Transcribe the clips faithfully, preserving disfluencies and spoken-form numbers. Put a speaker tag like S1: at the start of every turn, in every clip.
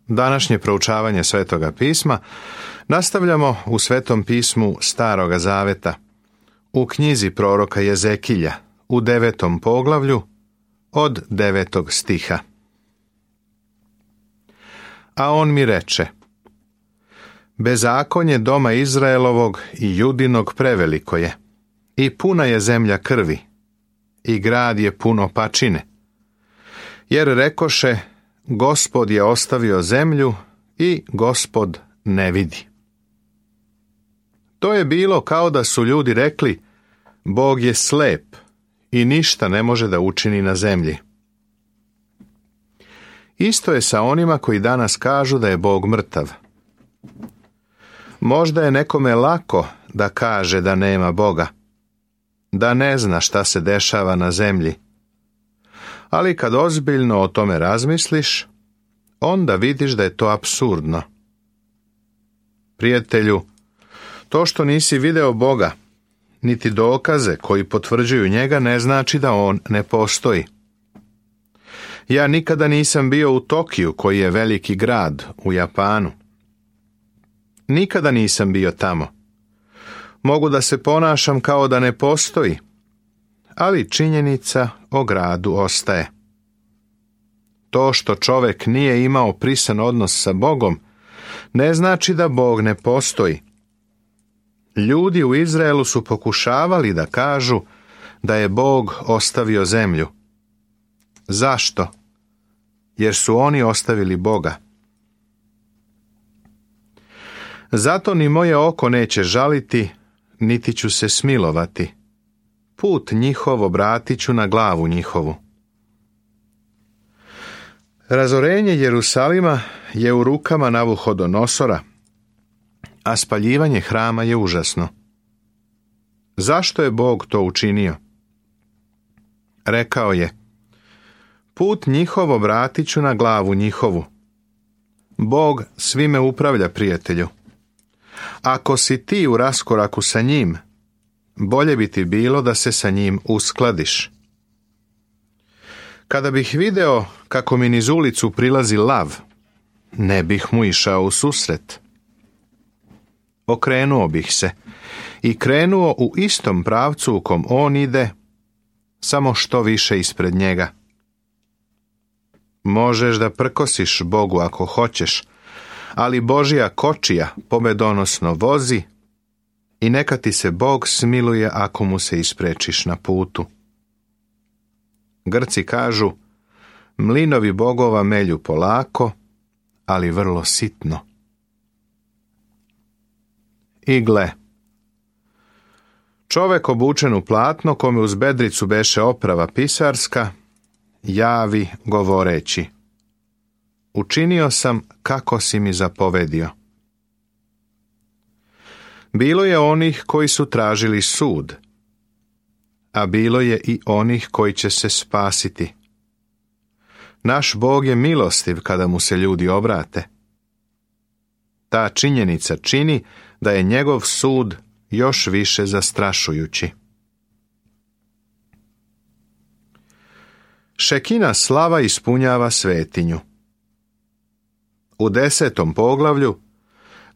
S1: Današnje proučavanje Svetoga pisma nastavljamo u Svetom pismu Staroga Zaveta, u knjizi proroka Jezekilja, u devetom poglavlju, od devetog stiha. A on mi reče: bezakonje doma Izraelovog i Judinog preveliko je, i puna je zemlja krvi, i grad je puno pačine. Jer rekoše, Gospod je ostavio zemlju i Gospod ne vidi. To je bilo kao da su ljudi rekli, Bog je slep i ništa ne može da učini na zemlji. Isto je sa onima koji danas kažu da je Bog mrtav. Možda je nekome lako da kaže da nema Boga, da ne zna šta se dešava na zemlji. Ali kad ozbiljno o tome razmisliš, onda vidiš da je to apsurdno. Prijatelju, to što nisi video Boga, niti dokaze koji potvrđuju njega, ne znači da on ne postoji. Ja nikada nisam bio u Tokiju, koji je veliki grad u Japanu. Nikada nisam bio tamo. Mogu da se ponašam kao da ne postoji, ali činjenica o gradu ostaje. To što čovek nije imao prisan odnos sa Bogom, ne znači da Bog ne postoji. Ljudi u Izraelu su pokušavali da kažu da je Bog ostavio zemlju. Zašto? Jer su oni ostavili Boga. Zato ni moje oko neće žaliti, niti ću se smilovati. Put njihov obratit ću na glavu njihovu. Razorenje Jerusalima je u rukama Navuhodonosora, a spaljivanje hrama je užasno. Zašto je Bog to učinio? Rekao je, put njihov obratit ću na glavu njihovu. Bog svime upravlja, prijatelju. Ako si ti u raskoraku sa njim, bolje bi ti bilo da se sa njim uskladiš. Kada bih video kako mi niz ulicu prilazi lav, ne bih mu išao u susret. Okrenuo bih se i krenuo u istom pravcu u kom on ide, samo što više ispred njega. Možeš da prkosiš Bogu ako hoćeš, ali Božja kočija pobedonosno vozi i neka ti se Bog smiluje ako mu se isprečiš na putu. Grci kažu, mlinovi bogova melju polako, ali vrlo sitno. I gle, čovek obučen u platno, kome uz bedricu beše oprava pisarska, javi govoreći, učinio sam kako si mi zapovedio. Bilo je onih koji su tražili sud, a bilo je i onih koji će se spasiti. Naš Bog je milostiv kada mu se ljudi obrate. Ta činjenica čini da je njegov sud još više zastrašujući. Šekina slava ispunjava svetinju. U desetom poglavlju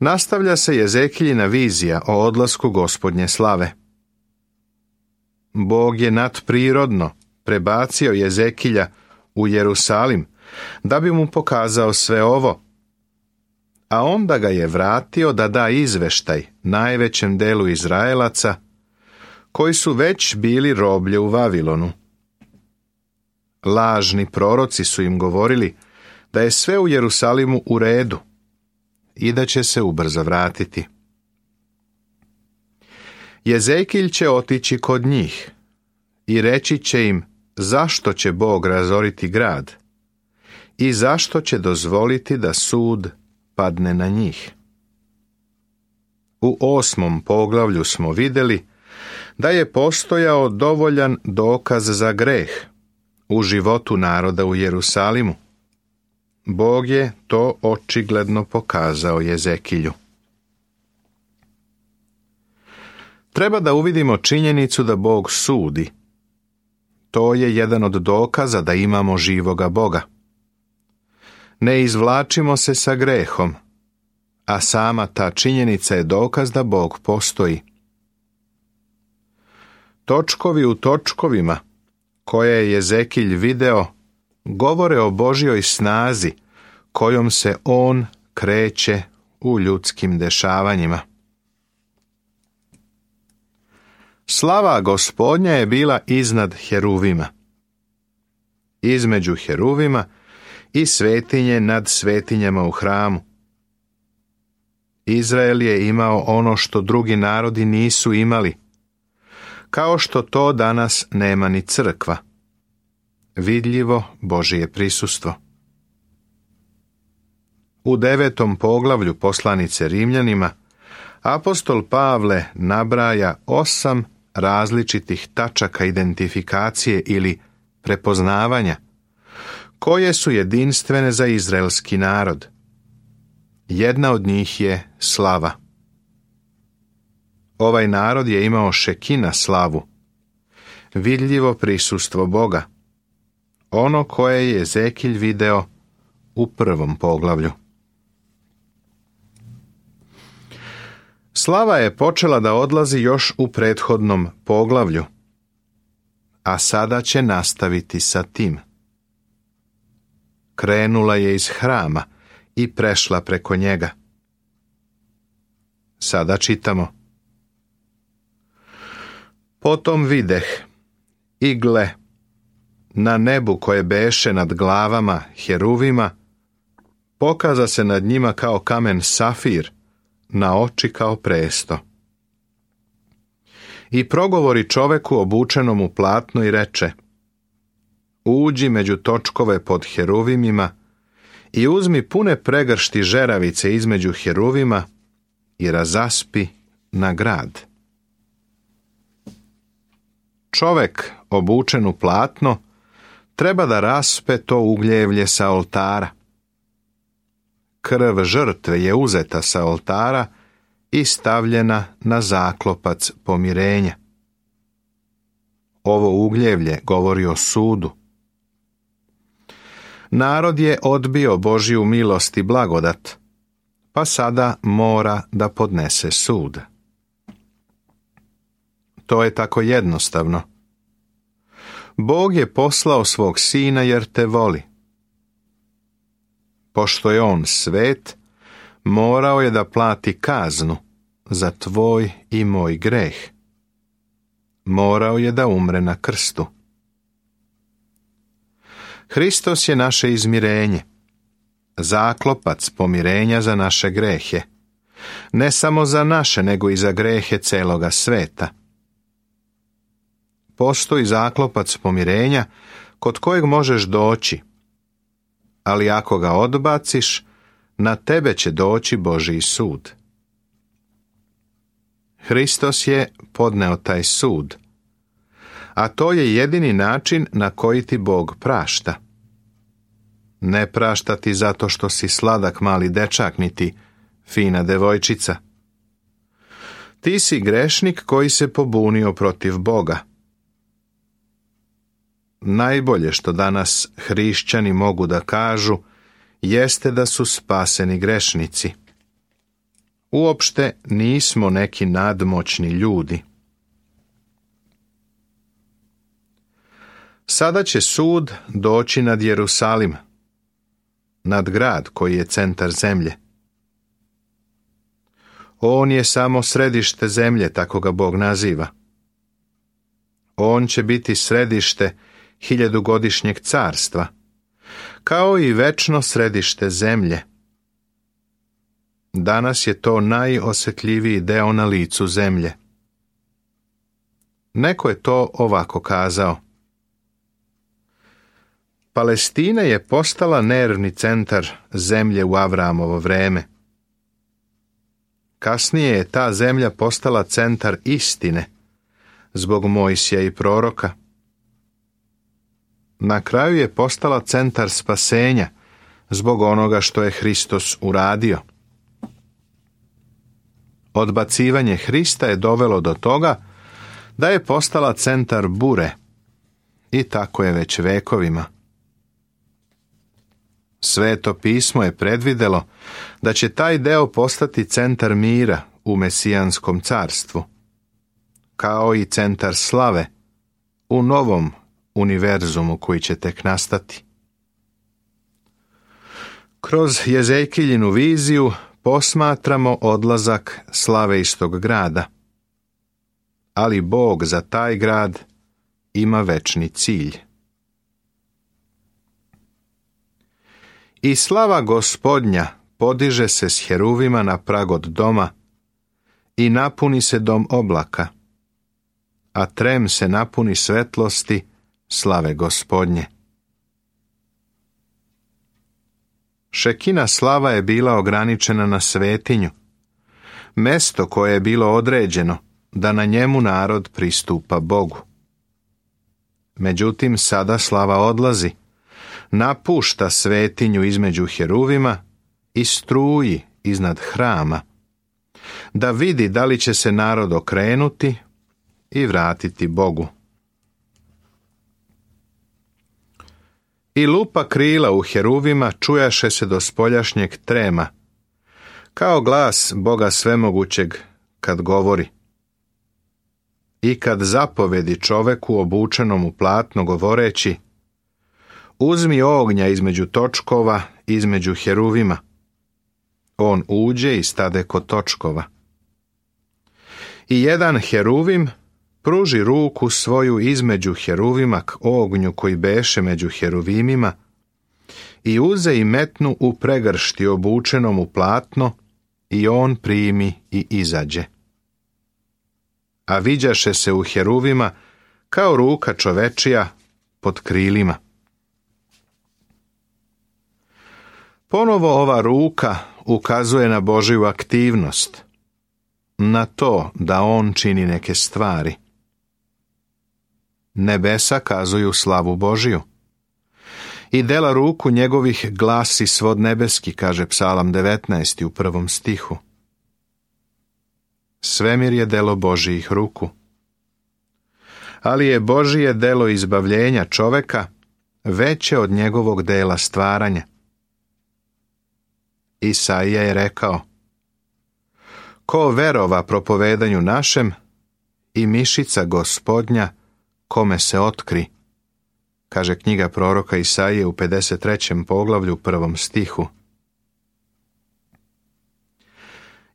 S1: nastavlja se Jezekiljina vizija o odlasku Gospodnje slave. Bog je nadprirodno prebacio Jezekilja u Jerusalim da bi mu pokazao sve ovo, a onda ga je vratio da da izveštaj najvećem delu Izraelaca koji su već bili roblje u Vavilonu. Lažni proroci su im govorili da je sve u Jerusalimu u redu i da će se ubrzo vratiti. Jezekilj će otići kod njih i reći će im zašto će Bog razoriti grad i zašto će dozvoliti da sud padne na njih. U osmom poglavlju smo vidjeli da je postojao dovoljan dokaz za greh u životu naroda u Jerusalimu. Bog je to očigledno pokazao Jezekilju. Treba da uvidimo činjenicu da Bog sudi. To je jedan od dokaza da imamo živoga Boga. Ne izvlačimo se sa grehom, a sama ta činjenica je dokaz da Bog postoji. Točkovi u točkovima, koje je Jezekilj video, govore o Božjoj snazi kojom se on kreće u ljudskim dešavanjima. Slava Gospodnja je bila iznad heruvima, između heruvima i svetinje nad svetinjama u hramu. Izrael je imao ono što drugi narodi nisu imali, kao što to danas nema ni crkva. Vidljivo Božje prisustvo. U devetom poglavlju poslanice Rimljanima apostol Pavle nabraja osam različitih tačaka identifikacije ili prepoznavanja, koje su jedinstvene za izraelski narod. Jedna od njih je slava. Ovaj narod je imao šekina slavu, vidljivo prisustvo Boga, ono koje je Jezekilj video u prvom poglavlju. Slava je počela da odlazi još u prethodnom poglavlju, a sada će nastaviti sa tim. Krenula je iz hrama i prešla preko njega. Sada čitamo. Potom videh, i gle, na nebu koje beše nad glavama heruvima, pokaza se nad njima kao kamen safir, na oči kao presto. I progovori čoveku obučenom u platno i reče: uđi među točkove pod heruvimima i uzmi pune pregršti žeravice između heruvima i razaspi na grad. Čovek obučen u platno treba da raspe to ugljevlje sa oltara. Krv žrtve je uzeta sa oltara i stavljena na zaklopac pomirenja. Ovo ugljevlje govori o sudu. Narod je odbio Božju milost i blagodat, pa sada mora da podnese sud. To je tako jednostavno. Bog je poslao svog sina jer te voli. Pošto je on svet, morao je da plati kaznu za tvoj i moj greh. Morao je da umre na krstu. Hristos je naše izmirenje, zaklopac pomirenja za naše grehe, ne samo za naše, nego i za grehe celoga sveta. Postoji zaklopac pomirenja kod kojeg možeš doći, ali ako ga odbaciš, na tebe će doći Božji sud. Hristos je podneo taj sud, a to je jedini način na koji ti Bog prašta. Ne prašta ti zato što si sladak mali dečak, niti fina devojčica. Ti si grešnik koji se pobunio protiv Boga. Najbolje što danas hrišćani mogu da kažu jeste da su spaseni grešnici. Uopšte nismo neki nadmoćni ljudi. Sada će sud doći nad Jerusalim, nad grad koji je centar zemlje. On je samo središte zemlje, tako ga Bog naziva. On će biti središte hiljadugodišnjeg carstva, kao i večno središte zemlje. Danas je to najosjetljiviji deo na licu zemlje. Neko je to ovako kazao. Palestina je postala nervni centar zemlje u Avramovo vreme. Kasnije je ta zemlja postala centar istine zbog Mojsija i proroka. Na kraju je postala centar spasenja zbog onoga što je Hristos uradio. Odbacivanje Hrista je dovelo do toga da je postala centar bure i tako je već vekovima. Sveto pismo je predvidelo da će taj deo postati centar mira u Mesijanskom carstvu, kao i centar slave u novom univerzumu koji će tek nastati. Kroz Jezekijinu viziju posmatramo odlazak slave iz tog grada, ali Bog za taj grad ima večni cilj. I slava Gospodnja podiže se s heruvima na prag od doma i napuni se dom oblaka, a trem se napuni svetlosti slave Gospodnje. Šekina slava je bila ograničena na svetinju, mesto koje je bilo određeno da na njemu narod pristupa Bogu. Međutim, sada slava odlazi, napušta svetinju između heruvima i struji iznad hrama, da vidi da li će se narod okrenuti i vratiti Bogu. I lupa krila u heruvima čujaše se do spoljašnjeg trema, kao glas Boga svemogućeg kad govori. I kad zapovedi čoveku obučenom u platno govoreći: uzmi ognja između točkova, između heruvima. On uđe i stade kod točkova. I jedan heruvim pruži ruku svoju između heruvima k ognju koji beše među heruvimima i uze i metnu u pregršti obučenom u platno i on primi i izađe. A viđaše se u heruvima kao ruka čovečija pod krilima. Ponovo ova ruka ukazuje na Božju aktivnost, na to da on čini neke stvari. Nebesa kazuju slavu Božiju. I dela ruku njegovih glasi svod nebeski, kaže Psalam devetnaesti u prvom stihu. Svemir je delo Božijih ruku. Ali je Božije delo izbavljenja čoveka veće od njegovog dela stvaranja. Isaija je rekao: ko verova propovedanju našem i mišica Gospodnja kome se otkri, kaže knjiga proroka Isaije u pedeset trećem poglavlju prvom stihu.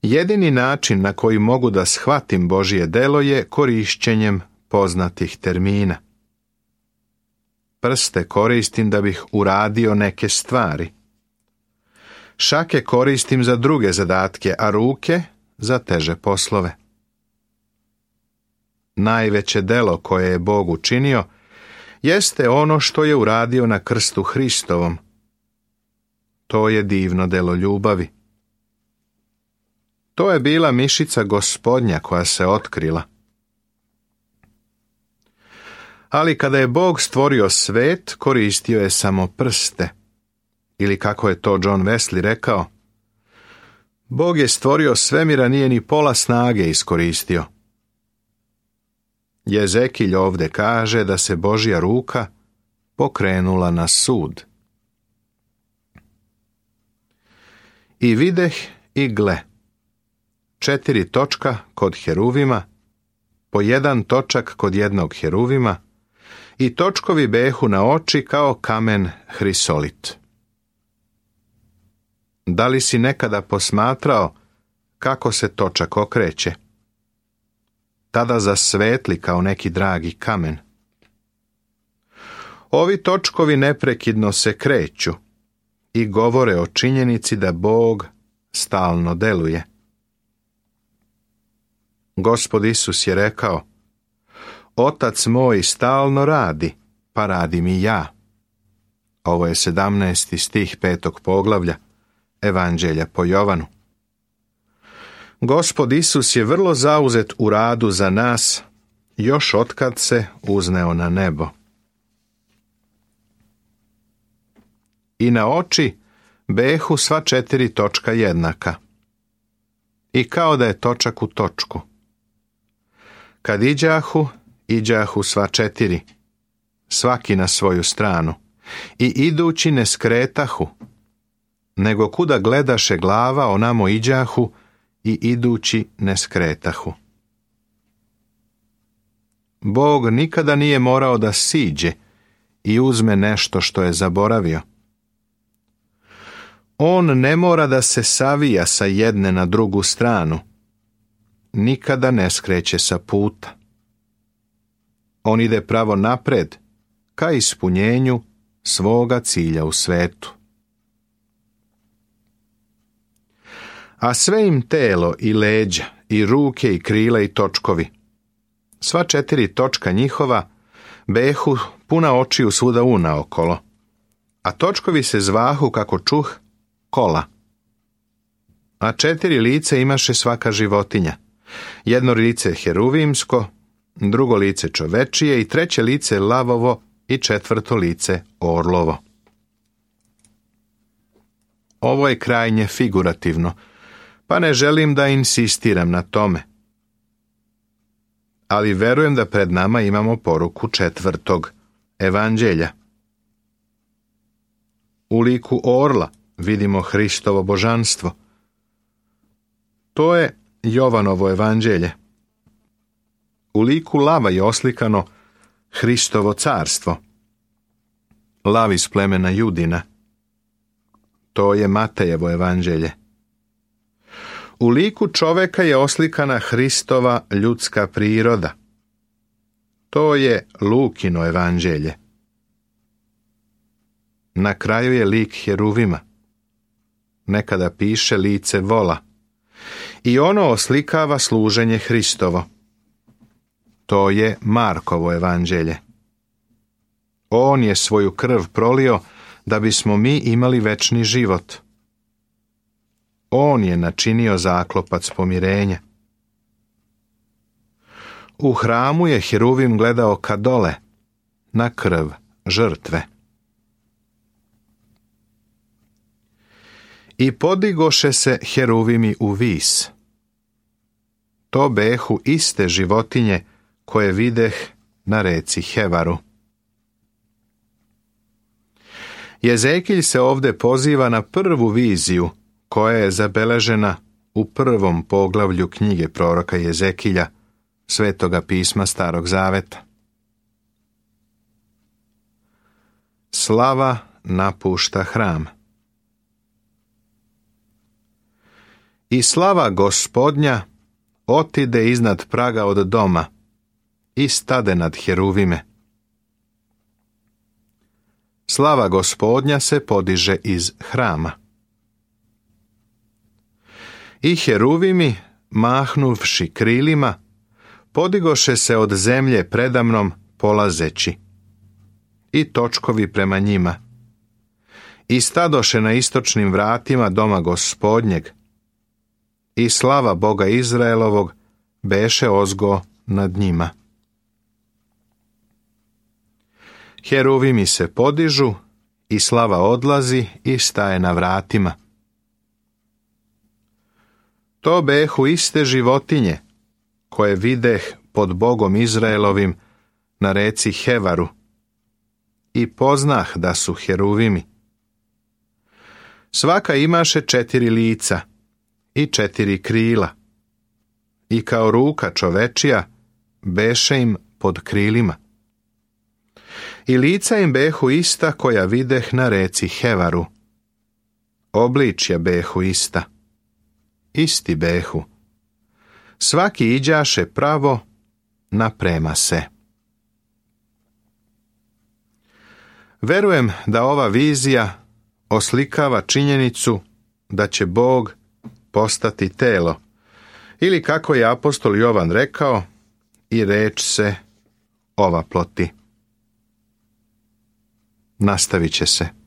S1: Jedini način na koji mogu da shvatim Božje delo je korišćenjem poznatih termina. Prste koristim da bih uradio neke stvari. Šake koristim za druge zadatke, a ruke za teže poslove. Najveće delo koje je Bog učinio jeste ono što je uradio na krstu Hristovom. To je divno delo ljubavi. To je bila mišica Gospodnja koja se otkrila. Ali kada je Bog stvorio svet, koristio je samo prste. Ili kako je to John Wesley rekao: Bog je stvorio svemir, a nije ni pola snage iskoristio. Jezekilj ovde kaže da se Božja ruka pokrenula na sud. I videh i gle, četiri točka kod heruvima, po jedan točak kod jednog heruvima, i točkovi behu na oči kao kamen hrisolit. Da li si nekada posmatrao kako se točak okreće? Tada zasvetli kao neki dragi kamen. Ovi točkovi neprekidno se kreću i govore o činjenici da Bog stalno deluje. Gospod Isus je rekao: Otac moj stalno radi, pa radim i ja. Ovo je sedamnaesti stih petog poglavlja Evanđelja po Jovanu. Gospod Isus je vrlo zauzet u radu za nas, još otkad se uzneo na nebo. I na oči behu sva četiri točka jednaka. I kao da je točak u točku. Kad iđahu, iđahu sva četiri, svaki na svoju stranu, i idući ne skretahu, nego kuda gledaše glava onamo iđahu i idući ne skretahu. Bog nikada nije morao da siđe i uzme nešto što je zaboravio. On ne mora da se savija sa jedne na drugu stranu. Nikada ne skreće sa puta. On ide pravo napred, ka ispunjenju svoga cilja u svetu. A sve im telo i leđa, i ruke i krila i točkovi, sva četiri točka njihova, behu puna očiju svuda unaokolo, a točkovi se zvahu, kako čuh, kola. A četiri lice imaše svaka životinja, jedno lice heruvimsko, drugo lice čovečije i treće lice lavovo i četvrto lice orlovo. Ovo je krajnje figurativno, pa ne želim da insistiram na tome. Ali verujem da pred nama imamo poruku četvrtog evanđelja. U liku orla vidimo Hristovo božanstvo. To je Jovanovo evanđelje. U liku lava je oslikano Hristovo carstvo. Lav iz plemena Judina. To je Matejevo evanđelje. U liku čoveka je oslikana Hristova ljudska priroda. To je Lukino evanđelje. Na kraju je lik heruvima. Nekada piše lice vola. I ono oslikava služenje Hristovo. To je Markovo evanđelje. On je svoju krv prolio da bismo mi imali večni život. On je načinio zaklopac pomirenja. U hramu je heruvim gledao ka dole, na krv žrtve. I podigoše se heruvimi u vis. To behu iste životinje koje videh na reci Hevaru. Jezekilj se ovde poziva na prvu viziju koja je zabeležena u prvom poglavlju knjige proroka Jezekilja, Svetoga pisma Starog Zaveta. Slava napušta hram. I slava Gospodnja otide iznad praga od doma i stade nad heruvime. Slava Gospodnja se podiže iz hrama. I heruvimi, mahnuvši krilima, podigoše se od zemlje predamnom polazeći, i točkovi prema njima, i stadoše na istočnim vratima doma Gospodnjeg, i slava Boga Izraelovog beše ozgo nad njima. Heruvimi se podižu, i slava odlazi i staje na vratima. To behu iste životinje, koje videh pod Bogom Izraelovim na reci Hevaru, i poznah da su heruvimi. Svaka imaše četiri lica i četiri krila, i kao ruka čovečija beše im pod krilima. I lica im behu ista koja videh na reci Hevaru. Obličja behu ista. Isti behu. Svaki iđaše pravo naprema se. Verujem da ova vizija oslikava činjenicu da će Bog postati telo, ili kako je apostol Jovan rekao, i reč se ovaploti. Nastavit će se.